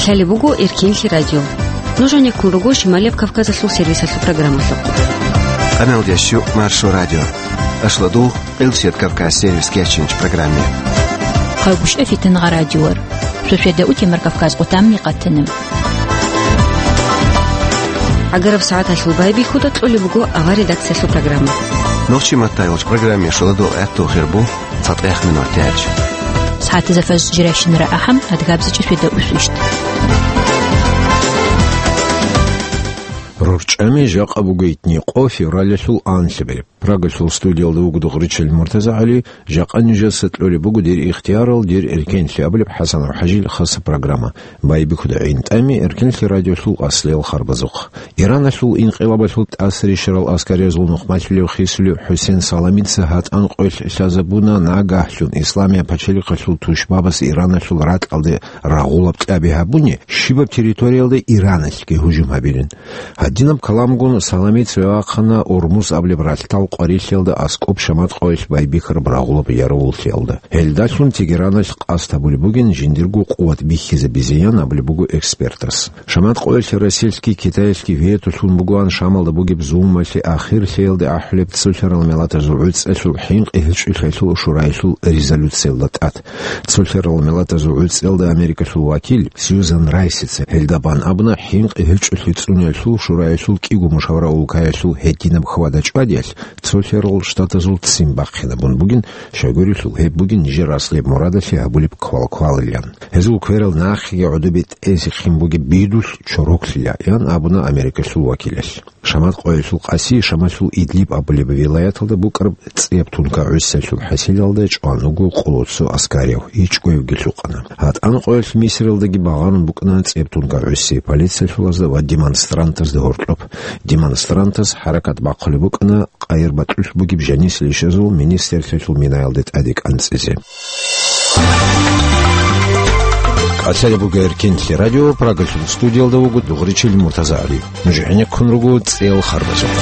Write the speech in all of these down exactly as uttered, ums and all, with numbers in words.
Лъалеб буго Эркенлъи радио. Нуж гьанеккун руго Шималияб Кавказалъул сервисалъул программалъухъ. Къаналдящу Маршо радио. Ашладул Къилсият Кавказ сервис кечинч программе. Хъагушев Фитнагъа радиор. Шошеда утемар Кавказ къутамни къатана. Агараб сагӀаталъул байбихьуда кьолеб буго авар редакциялъул программа. Нохчи маттайолч программе шоладул гӀатту хирбу. ЦатӀехъ минутач. СагӀатазда фажр жирайщинара ахӀам, адгабзичӀеб шведа усвищт. РорчӀами жакъа буго итни къо февралалъул анлъабилеб. Прагалъул студиялда вуго Дугъричил МуртазагӀали, жакъа нижаса кьолеб буго дир ихтиярал, дир эркенлъи абулеб ХӀасанов ХӀажил хаса программа. Байбихьуда гӀинтӀами Эркенлъи радиолъул аслиял харбазухъ. Ираналъул инкъилабалъул тӀасарищарал аскариязул нухмалъулев хисулев ХӀусен Саламица гьатӀан къоялъ лъазабуна, нагагьлъун исламияб пачалихъалъул тушбабаз Ираналъул ракьалде рагъулаб кьаби гьабуни, щибаб территориялда Ираналъги гьужум гьабилин. Гьадинаб каламгун Саламица вахъана Урмуз абулеб ралъдал къварилъиялда аскӀоб Шамат къоялъ байбихьараб рагъулаб яровуллъиялда. Гьелдалъун Тегераналъ къасд гьабулеб бугин жиндирго къуват бихьизабизеян абулеб буго экспертас. Шамат къоялъ Россиялъги Китаялъги ветолъун бугоан Шамалда бугеб зулмалъе ахирлъиялде ахӀулеб Цолъарал Миллатазул ГӀуцӀалъул хӀинкъи гьечӀолъиялъул шураялъул резолюциялда тӀад. Цолъарал Миллатазул ГӀуцӀиялда Америкалъул вакил Сьюзан Райсица гьелда бан абуна, хӀинкъи гьечӀолъи цӀуниялъул шураялъул кӀиго мушавра улкаялъул гьединаб хьвада-чӀвадиялъ Цолъарал Штатазул ццин бахъинабун бугин, щайгурелъул гьеб бугин нижер аслияб мурадалъе гьабулеб квалквалилан. Гьезул кверал нахъеги гӀодобе тӀезехъин бугеб бидулъ чороклъила, ян абуна Америкалъул вакилалъ. Шамат къоялъул къаси Шамалъул Идлиб абулеб вилаяталда букӀараб цӀияб тункагӀусиялъул хӀасилалда чӀван вуго къолоцо аскарияв, ичӀгоявги лъукъана. ГьатӀан къоялъ Мисралдаги багъарун букӀана цӀияб тункагӀуси полициялъулазда ва демонстрантазда гьоркьоб. Демонстрантаз хӀаракат бахъулеб букӀана къайир батӀулъ бугеб жанисел ишазул министрлъиялъул минаялде тӀаде кӀанцӀизе. Калъалеб буго Эркенлъи радио, Прагалъул студиялда вуго Дугъричил МуртазагӀали. Нуж гӀенеккун руго цӀел харбазухъ.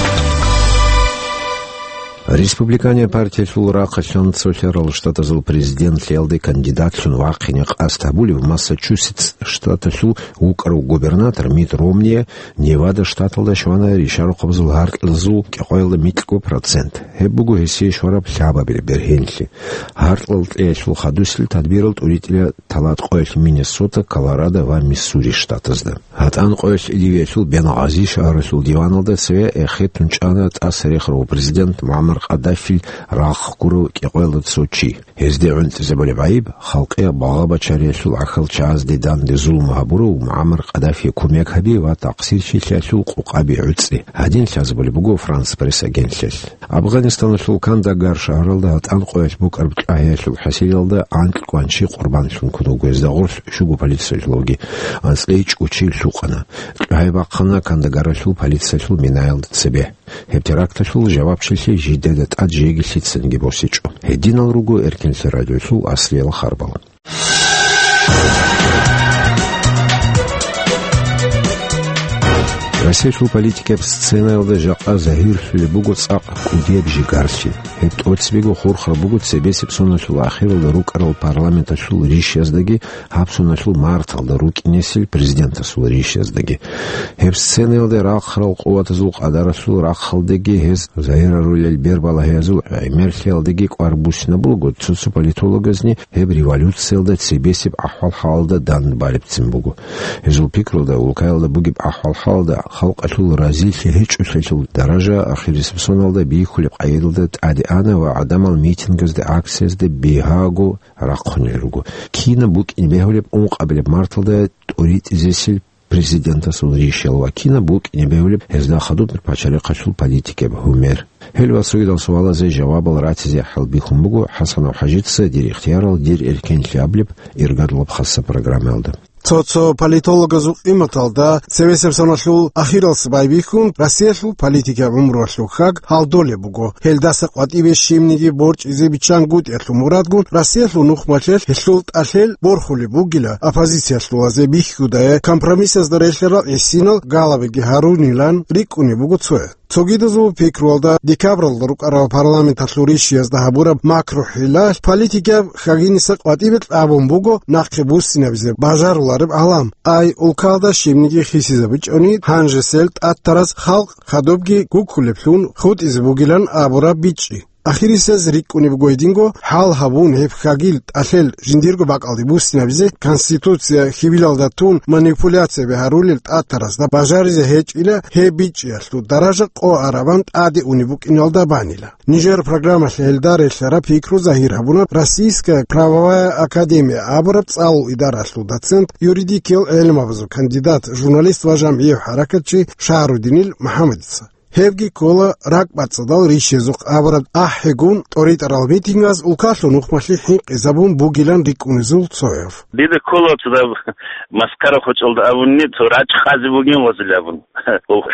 Республиканияб партиялъул рахъалъан Цолъарал Штатазул президентлъиялде кандидатлъун вахъине къасд гьабулев Массачусетс штаталъул вукӀарав губернатор Митт Ромние Невада штаталда щвана ришарухъабазул гьаркьазул кӀикъоялда микьго процент. Гьеб буго гьесие щвараб лъабабилеб бергьенлъи. Гьаркьал кьеялъул хадусел тадбирал тӀуритӀила талат къоялъ Миннесота, Колорадо ва Миссури штатазда. ГьатӀан къоялъ Ливиялъул Бенгъази шагьаралъул диваналда цеве эхетун чӀана тӀаса рехарав президент МугӀаммар Къаддафил рахъ гурав кӀикъоялда цо чи. Гьезде гӀунтӀизабулеб гӀайиб, халкъияб багъа-бачариялъул гӀахьалчагӀазде данде зулму гьабурав МугӀаммар Къаддафие кумек гьаби ва такъсирчилъиялъул къукъаби гӀуцӀи. Гьадин лъазабулеб буго Франс Пресс агентлъиялъ. Афганистаналъул Кандагар шагьаралда гьатӀан къоялъ букӀараб кьагьаялъул хӀасилалда анкь кӀванчи къурбанлъун ккун вуго, гьезда гъорлъ щуго полициялъулги анцӀила ичӀго чи лъукъана. Кьагьай бахъана Кандагаралъул полициялъул минаялда цебе. Гьеб теракталъул жавабчилъи жидеда тӀад жеги лъицанги босичӀо. Гьединал руго Эркенлъи радиолъул аслиял харбал. Россиялъул политикаб сценаялда жакъа загьирлъулеб буго цӀакъ кӀудияб жигарлъи. Гьеб тӀоцебего хурхараб буго цебесеб соналъул ахиралда рукӀарал парламенталъул ришяздаги гьаб соналъул марталда рукӀинесел президентасул ришяздаги. Гьеб сценаялда рахъарал къуватазул къадаралъул рахъалдаги гьез загьирарулел бербалагьиязул гӀемерлъиялдаги кӀвар буссинабулаго, цо-цо политологазни гьеб революциялда цебесеб ахӀвал-хӀалалда дандбалебцин буго. Гьезул пикруда, улкаялда бугеб ахӀвал-хӀалалда халкъалъул разилъи гьечӀолъиялъул даража ахирисеб соналда бихьулеб къайдалда тӀаде ана ва гӀадамал митингазде, акциязде бигьаго рахъунел руго. Кинаб букӀине бегьулеб ункъабилеб марталда тӀуритӀизесел президентасул ришал ва кинаб букӀине бегьулеб гьезда хадуб пачалихъалъул политикаб гьумер? Гьел ва цогидал суалазе жавабал ратизе хӀалбихьун буго ХӀасанов ХӀажица «Дир ихтиярал, дир эркенлъи» абулеб иргадлъаб хаса программаялда. Цо-цо политологазул къиматалда, цевесеб соналъул ахиралъ байбихьун, Россиялъул политикаб гӀумруялъул хьаг гьалдолеб буго. Гьелдаса къватӀибе щибниги борчӀизе биччангутӀиялъул мурадгун, Россиялъул нухмалъелъ гьелъул тӀалъел борхулеб бугила, оппозициялъулазе бихьудая компромиссазда релълъарал гӀисинал галабиги гьарунилан рикӀкӀунеб буго цояз. Цогидазул пикруялда, декабралда рукӀарал парламенталъул ришиязда гьабураб макру-хӀилалъ политикияб хьагиниса къватӀибе кьабун буго нахъе буссинабизе бажарулареб гӀалам. Ай, улкалда щибниги хисизабичӀони, гьанжесел тӀатарас халкъ хадубги гуккулеблъун хутӀизе бугилан абураб бичӀчӀи. Ахирисез рикӀкӀунеб буго гьединго, хӀал гьабун гьеб хьагил тӀалъел жиндирго бакӀалде буссинабизе, Конституция хьибилалда тун манипуляцияби гьарулел тӀатарасда бажаризе гьечӀила гьеб бичӀчӀиялъул даража къо арабан тӀаде унеб букӀиналда банила. Нижер программалъ гьелда релълъараб пикру загьир гьабуна Российская правовая академия абураб цӀалул идаралъул доцент, юридикиял гӀелмабазул кандидат, журналист ва жамгӀияв хӀаракатчи Шагьрудинил МухӀаммадица. Гьевги ккола ракӀбацӀцӀадал ришезухъ абураб ахӀигун тӀоритӀарал митингаз улкалъул нухмалъи хӀинкъизабун бугилан рикӀкӀунезул цояв. Дида ккола цо даб маскара хочӀалда абунни, цо рачӀ хъазе бугин вазил абун.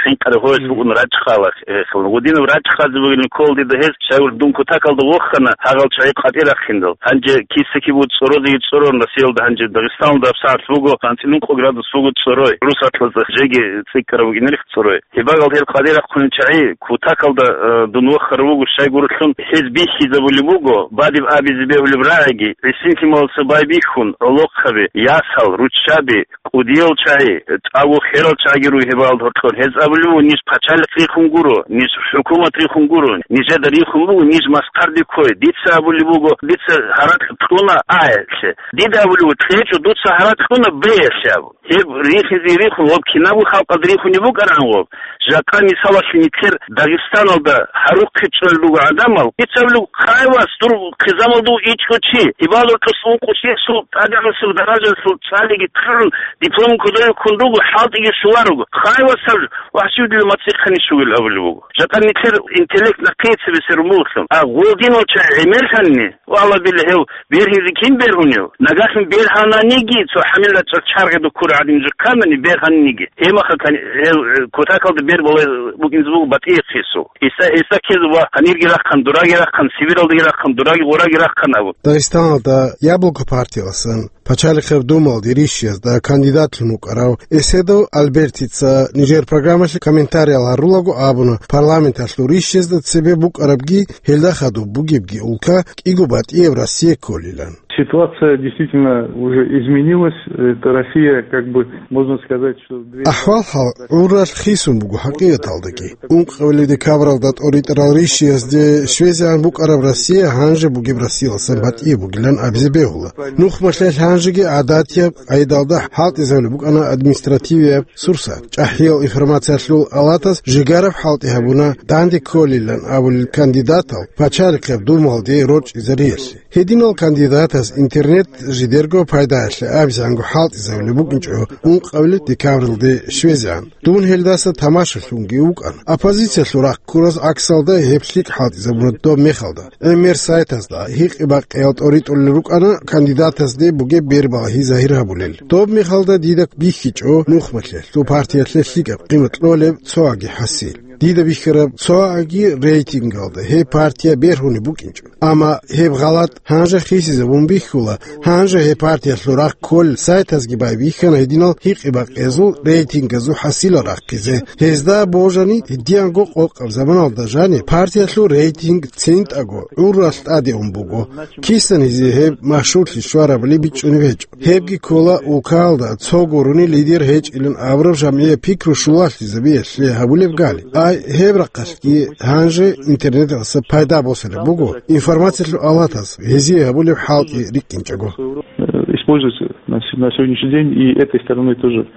ХӀинкъаре гьоялъ букӀун рачӀ хъала, э, хилан. Гъудинаб рачӀ хъазе бугин ккола дида гьез, щайгур дун кутакалда вохана, гьагъал чагӀи къватӀир рахъиндал. Гьанже киса-кибу цӀорозеги цӀорон Россиялда, гьанже Дагъистаналда абсагӀат буго, анцӀила ункъо градус буго цӀорой. Русатлазда жеги цӀикӀкӀараб бугинарих цӀорой. Гьебагал гьел къватӀир рахъунел чагӀи кутакалда, э, дун вохарав вуго, щайгурелъул гьез бихьизабулеб буго, бадиб абизе бегьулеб рагӀиги, гӀисинлъималаса байбихьун, гӀолохъаби, ясал, руччаби, кӀудиял чагӀи, тӀагу херал чагӀиги руй гьебагал гьоркьор. Гьез абулеб буго, ниж пачалихъ рихун гуро, ниж хӀукумат рихун гуро, нижеда рихун буго, ниж маскарде ккой. Дица абулеб буго, дица гьаракь кьуна А-ялъе. Дида абулеб буго, кьечӀо, дуца гьаракь кьуна Б-ялъе абу. Гьеб рихизе рихун, гъоб кинабго халкъалда рихунеб букӀаран гъоб. Жакъа мисалалъе нилъер Дагъистаналда гьарухъе чӀвел руго гӀадамал. Ицаблу хъайвас дур хъизамалда ичӀго чи, гьебал рокьос ункъо чиясул тӀадегӀанасул даражалъул цӀалиги тӀагӀун, диплом кодове ккун руго, хӀалтӀиги щуларуго. Хъайвас гьаб вахчудила мацӀихъани щугел абулеб буго. Жакъа нилъер интеллект нахъе цебесерун бугелъул. А гъолдинал чагӀи гӀемерлъанни, Валла билла, гьев бергьизе кин бергьунев? Нагагьлъун бергьананиги, цо хӀамил рачӀал чаргъи дуккур гӀадин жихъанани бергьаниги. Гьемаха кан-, гьев, э, кутакалда бер балай букӀинзе буго батӀияб хису. Гьесда, гьесда ккезе ва гьанирги рахъан, дураги рахъан, Сибиралдаги рахъан, дураги гъораги рахъан абун. Дагъистаналда Яблоко партияласан Пачалихъеб Думалде ришиязда кандидатлъун вукӀарав Эседов Альбертица нижер программалъе комментариял гьарулаго абуна, парламенталъул ришиязда цебе букӀарабги, гьелда хадуб бугебги улка кӀиго батӀияб Россия кколилан. Ситуация действительно уже изменилась. Эта Россия, как бы, можно сказать, что дверь... АхӀвал-хӀал гӀурралъ хисун буго хӀакъикъаталдаги. Ункъабилеб декабралда тӀоритӀарал ришиязде щвезегӀан букӀараб Россия гьанже бугеб Россияласан батӀияб бугилан абизе бегьула. Нухмалъе гьанжеги гӀадатияб къайдалда хӀалтӀизабулеб букӀана административияб сурсат. ЧӀахӀиял информациялъул алатас жигараб хӀалтӀи гьабуна данде кколилан абулел кандидатал Пачалихъеб Думалде рорчӀизариялъе. Гьединал кандидатас интернет жидерго пайдаялъе абизанго хӀалтӀизабулеб букӀинчӀо ункъабилеб декабралде щвезегӀан. Дун гьелдаса тамашалъунги вукӀана. Оппозициялъул рахъ ккурас гӀаксалда гьеб лъикӀ хӀалтӀизабуна доб мехалда. ГӀемер сайтазда гьикъи-бакъиял тӀоритӀулел рукӀана кандидатазде бугеб бербалагьи загьир гьабулел. Доб мехалда дида бихьичӀо нухмалъе, лъу партиялъе лъикӀаб къимат кьолеб цоаги хӀасил. Дида бихьараб цоаги рейтингалда гьеб партия бергьунеб букӀинчӀо. Амма гьеб гъалатӀ гьанже хисизабун бихьула, гьанже гьеб партиялъул рахъ кколел сайтазги байбихьана гьединал гьикъи-бакъиязул рейтингазул хӀасилал рахъизе. Гьезда божани, гьединго къокъаб заманалда жаниб партиялъул рейтинг цинтӀаго гӀурралъ тӀаде ун буго. Кисан гьезие гьеб машгьурлъи щварабали бичӀчӀунеб гьечӀо. Гьебги ккола улкалда цо гурони лидер гьечӀилан абураб жамгӀияб пикру щулалъизабиялъе гьабулеб гали. Ай, гьеб рахъалъги гьанже интернеталъа пайда босараб буго, информациялъул алатас гьезие гьабулеб хӀалтӀи рикӀкӀинчӀого. Э, используется на с-, на сегодняшний день и этой стороной тоже,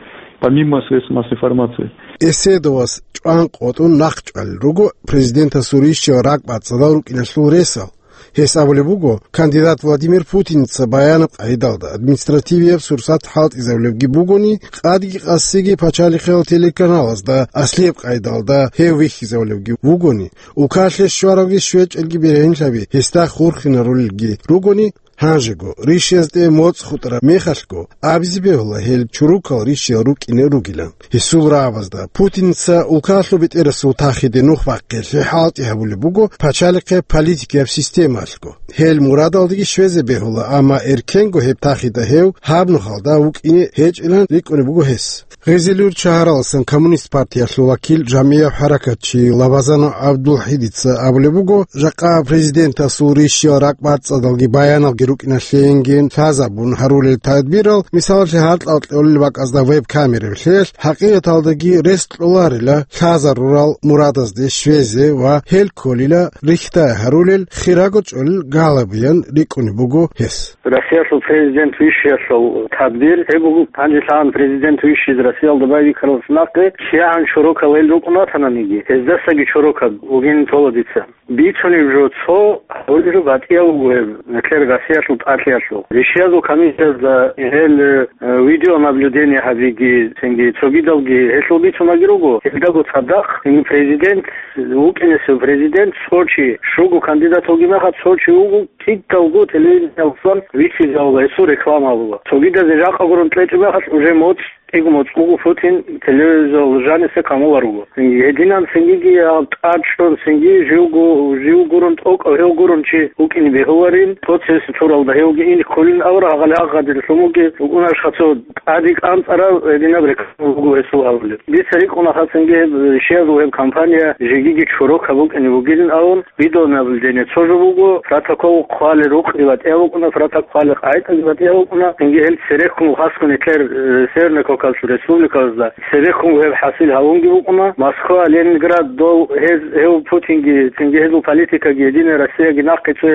помимо средств массовой информации. Эседовас чӀван къотӀун нахъчӀвалел руго президентасул ришиял ракӀбацӀцӀадал рукӀиналъул ресал. Гьес абулеб буго, кандидат Владимир Путинца баянаб къайдалда административияб сурсат хӀалтӀизабулебги бугони, къадги къасиги пачалихъиял телеканалазда аслияб къайдалда гьев вихьизабулебги вугони, улкалъе щваравги щвечӀелги бергьенлъаби гьесда хурхинарулелги ругони, Гьанжего, ришиязде моцӀ хутӀараб мехалъго, абизе бегьула гьел чорокал ришиял рукӀине ругилан. Гьесул рагӀабазда, Путинца улкалъул бетӀерасул тахиде нух бахъиялъе хӀалтӀи гьабулеб буго пачалихъе политикияб системалъго. Гьел мурадалдаги щвезе бегьула, амма эркенго гьеб тахида гьев гьаб нухалда вукӀине гьечӀилан рикӀкӀунеб буго гьес. Гъизилюрт шагьараласан Коммунист партиялъул вакил, жамгӀияб хӀаракатчи Лабазанов ГӀабдулхӀидица абулеб буго, жакъа президентасул ришиял ракӀбацӀцӀадалги баяналги рукӀиналъейинги лъазабун гьарулел тадбирал, мисалалъе, гьаркьал кьолел бакӀазда веб-камерабилъеялъ, хӀакъикъаталдаги рес кьоларила лъазарурал мурадазде щвезе ва гьел кколила рихьдай гьарулел, хирого чӀолел галабиян рикӀкӀунеб буго гьес. Россиялъул президент вищиялъул тадбир гьеб буго, гьанже лъагӀан президент вищизе Россиялда байбихьаралдаса нахъе, кигӀан чорокал гьел рукӀун ратананиги, гьездасаги чорокаб вугин тола дица. Бицунеб жо цо, гьабулеб жо батӀияб буго гьеб, нилъер Россиялъул тӀалъиялъул. Ришиязул комиссиязда гьел, э, видеонаблюдение гьабиги, цинги цогидалги гьелъул бицунаги руго, гьелдаго цадахъ, цинги президент вукӀинесев президент цо чи, щуго кандидат вугеб мехалъ цо чи вуго, кӀидалго телевидениялдасан вихьизавула гьесул реклама гьабула. Цогидазе жакъа гурун кьечӀеб мехалъ, уже моцӀ, кӀиго моцӀ буго Путин телевизор жаниса камулар руго. Гьединан цингиги гьаб тӀад чӀун, цинги живго, жив гурун тӀокӀав гьев гурун чи вукӀине бегьуларин, процесс цуралда гьевги ин кколин авра гьагъали агъадил лъумуги вукӀунаш хацо тӀаде кӀанцӀарав гьединаб реклама буго гьесул гьабулеб. Дица рикӀкӀуна хацанги гьеб, щиязул гьеб компания жегиги чорокаб букӀине бугилин абун, видеонаблюдение цо жо буго, протокол хъвалел рукъги батӀияб букӀуна, протокол хъвалел къагӀидаги батӀияб букӀуна, цинги гьел церехун хасго нилъер, э, Северный Кавказлъул республикаялда церехун гьеб хӀасил гьавунги букӀуна, Москва, Ленинград, дол гьез, гьев Путинги, цинги гьезул политикаги, Единая Россияги нахъе цо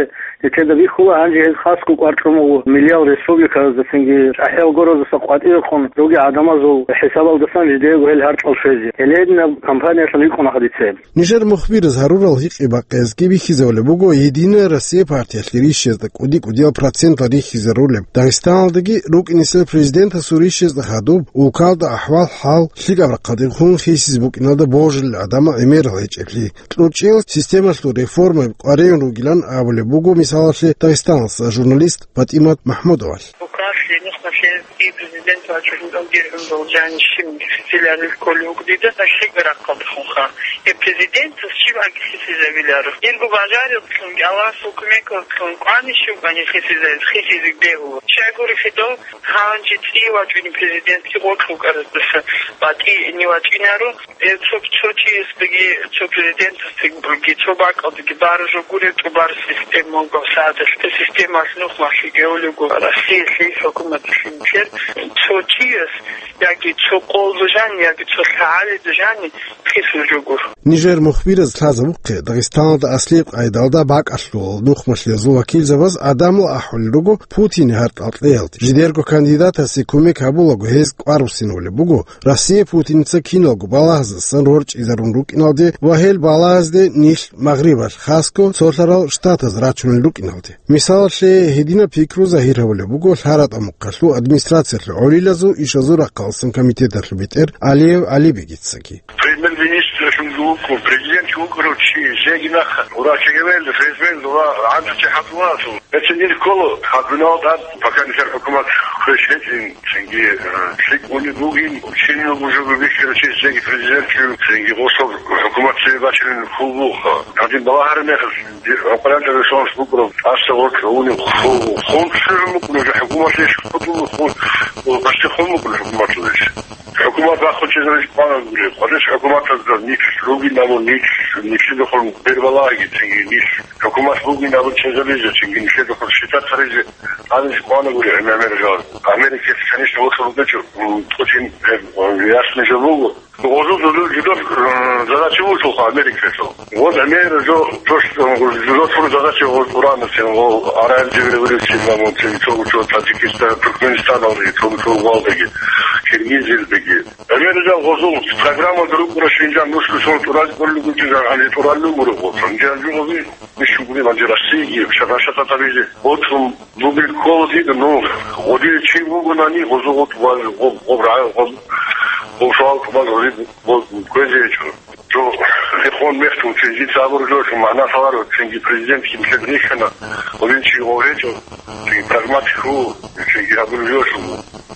Нилъеда бихьула, гьанже гьез хасго кӀвар кьун буго миллиял республикаялдасанги чӀахӀиял гороздаса къватӀивехун ругел гӀадамазул хӀисабалдасан жидеего гьел гьаркьал щвезе. Гьеле гьединаб компаниялъул рикӀкӀуна хадица гьеб. Нижер мухбираз гьарурал гьикъи-бакъиязги бихьизабулеб буго Единая Россия партиялъе ришиязда кӀуди-кӀудиял процентал рихьизарулеб, Дагъистаналдаги рукӀинесел президентасул ришиязда хадуб, улкалда ахӀвал-хӀал лъикӀаб рахъалдехун хисизе букӀиналда божулел гӀадамал гӀемерал гьечӀеблъи. КьучӀел системалъул реформаби къваригӀун ругилан абулеб буго, мисалалъе, Дагъистаналъа журналист ПатӀимат МахӀмудовалъ. Бухъалъе нухмалъе и президент вачӀун диргьун должани щиб филарил кколев вуго дида лъикӀаб рахъалдехунха. Гьеб президентас щиб аги хисизавиларо. Дирго бажарилъунги Аллагьасул кумекалъун кӀвани щиб аги хисизавиз, хисизе бегьула. Щайгурелъул гьанже цӀи вачӀунеб президентги гъоркь вукӀараздаса батӀине вачӀинаро. Э, цо, цо чиясдаги, цо президентасдаги, цо бакӀалдаги баражо гуреб тӀубар система буго сагӀаталъ. Э, системалъ нухмалъи гьевлего Россиялъе хӀукуматалъе нилъер цо чияс, яги цо къолда жани, яги цо лъагӀалида жани хисул жо гуро. Нижер мухбираз лъазабухъе, Дагъистаналда аслияб къайдалда бакӀалъул нухмалъиязул вакилзабаз гӀадамал ахӀулел руго Путине гьаркьал кьеялде. Жидерго кандидатасе кумек гьабулаго гьез кӀварусинавулеб буго, Россия Путинца киналго балагьаздасан рорчӀизарун рукӀиналде ва гьел балагьазде нилъ Магърибалъ хасго цолъарал штатаз рачунел рукӀиналде. Мисалалъе, гьединаб пикру загьир гьабулеб буго ЛъаратӀа мухъалъул администрациялъул гӀолилазул ишазул рахъалсан комитеталъул бетӀер Алиев ГӀалибегицаги. Премьер-министр вукӀун, президент вукӀарав чи жеги нахъа, врачи гьевел, фезмел ва гӀанжу чи хӀадула. Гьецин ил ккола, хадуналда, пока нилъер хӀукумат хвеш гьечӀин, цинги, э, лъикӀ уни бугин, учинил бужугу бихьира чи жеги президент чи, цинги гъосул хӀукумат цебе бачилин хьул буха. Гьадин балагьараб мехалъ, ди-, гӀукъуранча ресурс букӀураб, тӀаса гъоркь гьуниб ху-, хун цӀугӀун букӀун, уже хӀукуматлъи иш хутӀун хун, о, гъашти хун букӀун хӀукуматлъи иш. ХӀукумат бахъун чӀезаризе кӀванагури, хъвалес хӀукуматазда нилъ ругин абун, нилъ, нилъидехун бербалагьиги, цинги нилъ хӀукумат бугин абун чӀезаризе, цинги нилъидехун считаться гьаризе, гьанизе кӀванагури гӀемер жал. Америкаялъ, конечно, вокьун бугечӀо, м, Путин, э, ясный жо буго. Гъозул жо-, жо-, жо-, э, задача вугьулха Америкаялъул. Вот гӀемер жо, то, что, э, жо-, жо-, задача гъоз уранасин, гъо-, арал революция, ламун, цинги цо-, цо-, Таджикистан, Туркменистаналдаги, цо-, цо-, валдаги, Киргизиялдаги. Гьебмехалъ гъозул программаялда рукӀуна, щинжан нушго сон тӀураз кӀоллугу жинжан гьанже тӀураллугу рукъо. Щинжан жугъаби, бищугури гьанже Россиягиги, шагьар-шагьар гьабизе. Гъоцун бугел ккола дида, ну, гъодие чи вугонани, гъозул гъо тӀубаз, гъо-, гъо-, гъо-, гъо-, гъо-, шагьар тӀубаз гъози, гъо-, кквезе гьечӀо. Жо, Хон мехтул, цинги цабур жо, шун магӀна лъаларо, цинги президентги млъед рихьана, гьурин чи гъов гьечӀо, цинги прагматик ву, цинги гьабур жо, шун,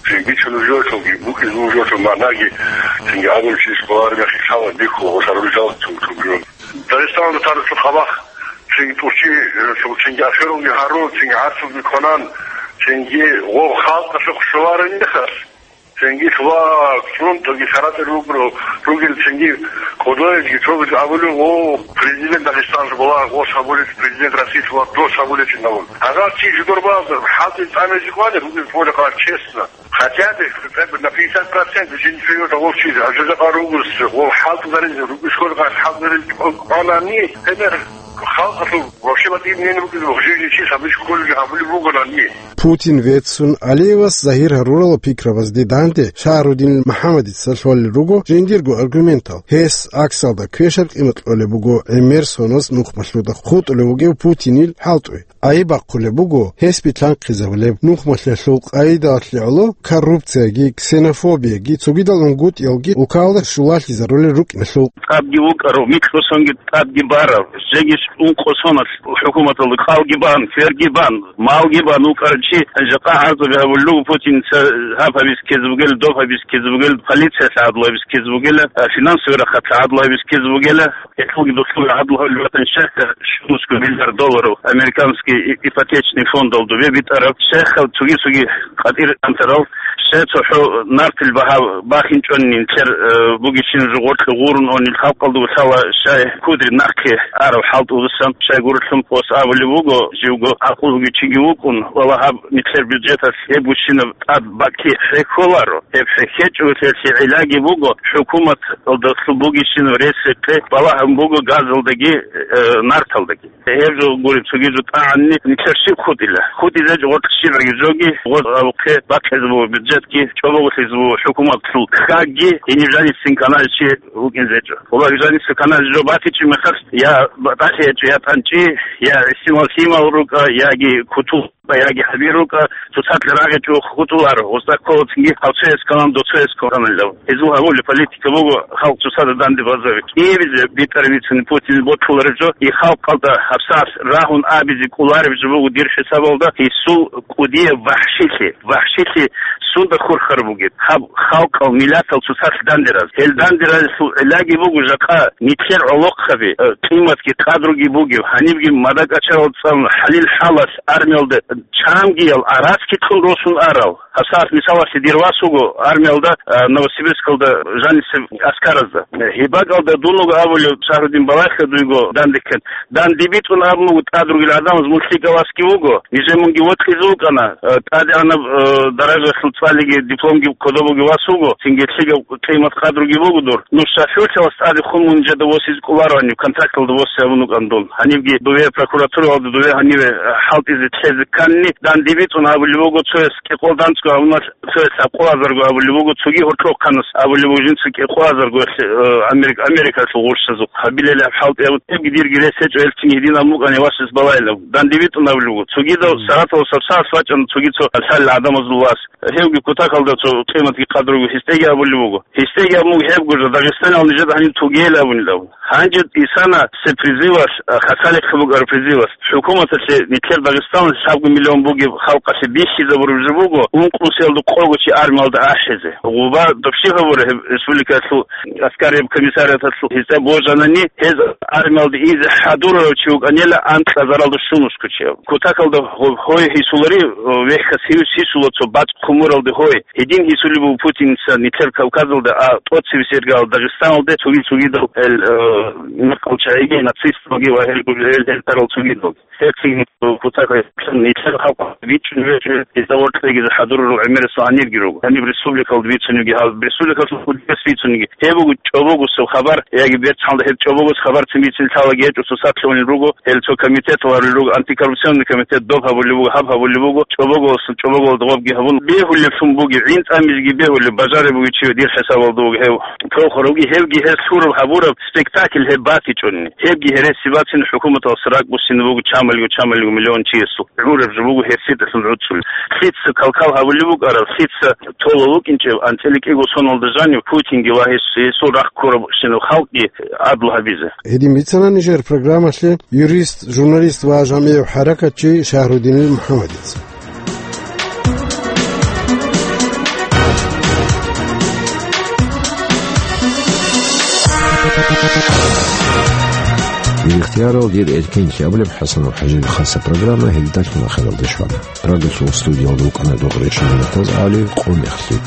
цинги бицун жо, шунги букӀиз ву жо, шун магӀнаги, цинги гьабур чи школар мехи лъала, бихьу, гъошарул жал, цун, цун жо. Дагъистаналда тарасул хабах, цинги тӀурчи, цинги ахирулги гьарун, цинги гӀарцулги кванан, цинги гъов халкъалъухъ щоларин мехалъ. Цинги ва цун тоги саратӀел ругел, ругел цинги кодоязги цогиз абулев, о, президент Дагъистаналъ була, о, сабулев, президент Россиялъ була, дос сабулев чинавун. Агар чи жидербазда хӀалтӀи тӀамизе кӀвалел, ругел цола къарар честно. Хотя бы, хотя бы на пятьдесят процентов жинчуе того чиз, а жо жакъа ругус, о, хӀалтӀизаризе, ругус хӀалтӀизаризе, кӀвалани, гьебер халкъалъул вообще батӀиб нин ругел, о, жиги чи сабиш кколги гьабулеб бугонани. Путин веццун, Алиевас загьир гьарурал пикрабазде данде Шагьрудин МухӀаммадица лъолел руго жиндирго аргументал, гьес аксалда квешаб къимат кьолеб буго гӀемер соноз нухмалъуда хутӀулев вугев Путинил хӀалтӀуе. Айиб бахъулеб буго гьес битлъанхъизабулеб нухмалъиялъул къайдалъе гӀоло коррупцияги, ксенофобияги, цогидал унгутӀиялги улкалда щулалъизарулел рукӀиналъул. ТӀадги вукӀарав, микьго сонги тӀадги барав, жеги ункъо соналъ хӀукуматалда кӀалги бан, кверги бан, малги бан вукӀарав чи, жакъа гӀарзаби гьабулел руго Путинца, гьаб гьабиз ккезе бугел, доб гьабиз ккезе бугел, полициялъ гӀадлу гьабиз ккезе бугела, а, финансовый рахъалъ гӀадлу гьабиз ккезе бугела, гьелъулги духъ гӀадлу гьабулеб батани, щайха щунусго миллиард долларов американский и-, ипотечный фондалда битӀараб, щайха цоги-цоги къатӀир анцӀарал, щай цохӀо нартил багьа бахинчӀони нилъер, э, бугищин жо гъоркье гъурун онил халкъалда лъала, щай кудри нахъе арав хӀалтӀуласан, щай гурелъул ос абулеб буго, живго гӀакълуги чиги вукӀун, вала гьаб нилъер бюджеталъ гьеб гущинаб тӀад бакӀлъи хӀехьоларо. Гьеб хӀехьечӀого гьелъие гӀиллаги буго, хӀукуматалдалъул бугищинаб рес-рекъе балагьун буго газалдаги, э, нарталдаги. Гьеб жо гуреб цоги жо тӀагӀанни нилъер щиб хутӀила? ХутӀизеч гъоркь щибгӀаги жоги, гъор абухъе бакъизе буго бюджетги, чӀобогълъизе буго хӀукуматлъул хьагги, гьениб жанисин каналчи вукӀинзечӀо. Валлагь, жаниса каналчи жо батичӀи мехалъ, я батӀалъи гьечӀо, я тӀанчӀи, я гӀисинал лъимал рукӀа, яги кутул. Яги гьабирукӀа, цоцалъ рагъичӀо хутӀуларо, устӀа кколацинги гьав цояс кканан, до цояс ккананилав. Гьезул гьабулеб политика буго халкъ цоцазда данде базави. КӀиабизе битӀараб бицани Путин бокьулареб жо, и халкъалда гьабсагӀат рагьун абизе кӀолареб жо буго дир хӀисабалда, гьесул кӀудияб вахӀшилъи, вахӀшилъи сунда хурхараб бугеб? Гьаб халкъал, миллатал цоцалъ дандераз. Гьел дандеразулъул гӀиллаги буго жакъа нилъер гӀолохъаби, э, къиматги къадруги бугеб, гьанибги мадакӀачарал цӀалун хӀалил-хӀалалъ армиялда чамгиял араски кьун росун арал. ГьабсагӀат мисалалъе дир вас вуго армиялда, а, Новосибирскалда жанисеб аскаразда. Гьеб бакӀалда дун вуго абулев Шагьрудин балагье дуйго дандеккан. Данде битӀун абун буго тӀад ругел гӀадамаз, мун лъикӀав васги вуго. Нижер мунги вокьизе вукӀана, а, тӀадегӀанаб, а, даражалъул цӀалиги дипломги кодобуги вас вуго. Цинги лъикӀав къимат-къадруги буго дур. Ну, шофёрлъи вас тӀаде хун мун жеда восизе кӀолароани, контракталда восе абун вукӀан дун. Гьанибги дове прокуратуралда дове гьаниве хӀалтӀизе лъезе кканни, данде битӀун абулеб буго, цояс кӀикъоялда анцӀго гьабуналъ, цояс лъабкъоязарго абулеб буго, цоги гьоркьохъанас абулеб буго жинца кӀикъоязарго, э, Америк-, Америкалъул гъурщазухъ гьабилелаб хӀалтӀи абун, гьебги дирги рес гьечӀо, гьелцин гьедин абун букӀани васас балайилан. Данде битӀун абулеб буго. Цогидал Саратовалъ гьабсагӀат вачӀана, цоги цо лъалел гӀадамазул вас. Гьевги кутакалда цо къиматги къадруги гьесдеги абулеб буго. Гьесдеги абун буго гьеб гужа, Дагъистанал нижеда гьаниб тугейил абунилан. Гьанже исана се призывалъ, а, хасалихъе букӀараб призывалъ. ХӀукуматалъе нилъер Дагъистаналъ лъабго миллион бугеб халкъалъе бихьизабураб жо буго, ункънусиялда къого чи армиялда ахӀизе. Гъуба добши гьабура гьеб республикалъул аскараб комиссариаталъул гьезда божанани, гьез армиялда изе хӀадурарав чи вукӀанила анкьазаралда щунусго чи. Кутакалда гьоб гьой гьисулари, вехьас гьивс гьисула цо бацӀ хъумуралде гьой. Гьедин гьисулеб буго Путинца нилъер Кавказалда, а тӀоцебесеб иргаялда Дагъистаналде цоги-цогидал гьел, э, мекъал чагӀиги, нацисталги ва гьел гурел гьел тарал цогидал. Гьеб цинги кутакал нилъер халкъ бичӀчӀун гьечӀо, гьезда воркьизе хӀадурарал гӀемерисел гьанирги руго. Гьаниб республикалда бицунебги, гьаб республикалъул хӀудияс бицунебги. Гьеб буго чӀобогосеб хабар, яги берцалда гьеб чӀобогос хабарцин бицин лъалаги гьечӀо, цо сахлъунел руго, гьел цо комитетал гьарулел руго, антикоррупционный комитет доб гьабулеб буго, гьаб гьабулеб буго, чӀобогосул чӀобоголда гъобги гьабун, бегьулеб лъун бугеб, гӀин тӀамизеги бегьулеб, бажараб бугев чи дир хӀисабалда вуго гьев. Тохарав вуго, гьевги гьес лъураб гьабураб спектакль гьеб батичӀони. Гьебги гьересияб бацин, хӀукуматалъ ракӀ буссине буго чамалго-чамалго миллион чиясул. ГӀураб жо буго гьерсидалъун гӀуцӀулеб. Лъица калкал гьабулеб букӀараб, лъица толев вукӀинчӀеб, анцӀила кӀиго соналда жанив Путинги ва гьес, гьесул рахъ ккурабщинал халкъги гӀадлу гьабизе. Гьедин бицана нижер программалъе юрист, журналист ва жамгӀияв хӀаракатчи Шагьрудинил МухӀаммадица. Ихтиярал дир эркенлъи абулеб ХӀасанов ХӀажияб хасаб программа гьелдалъун ахиралде щвана. Радиолъул студиялда вукӀана Догъри Шамилатаз ГӀали, къо мехлъи.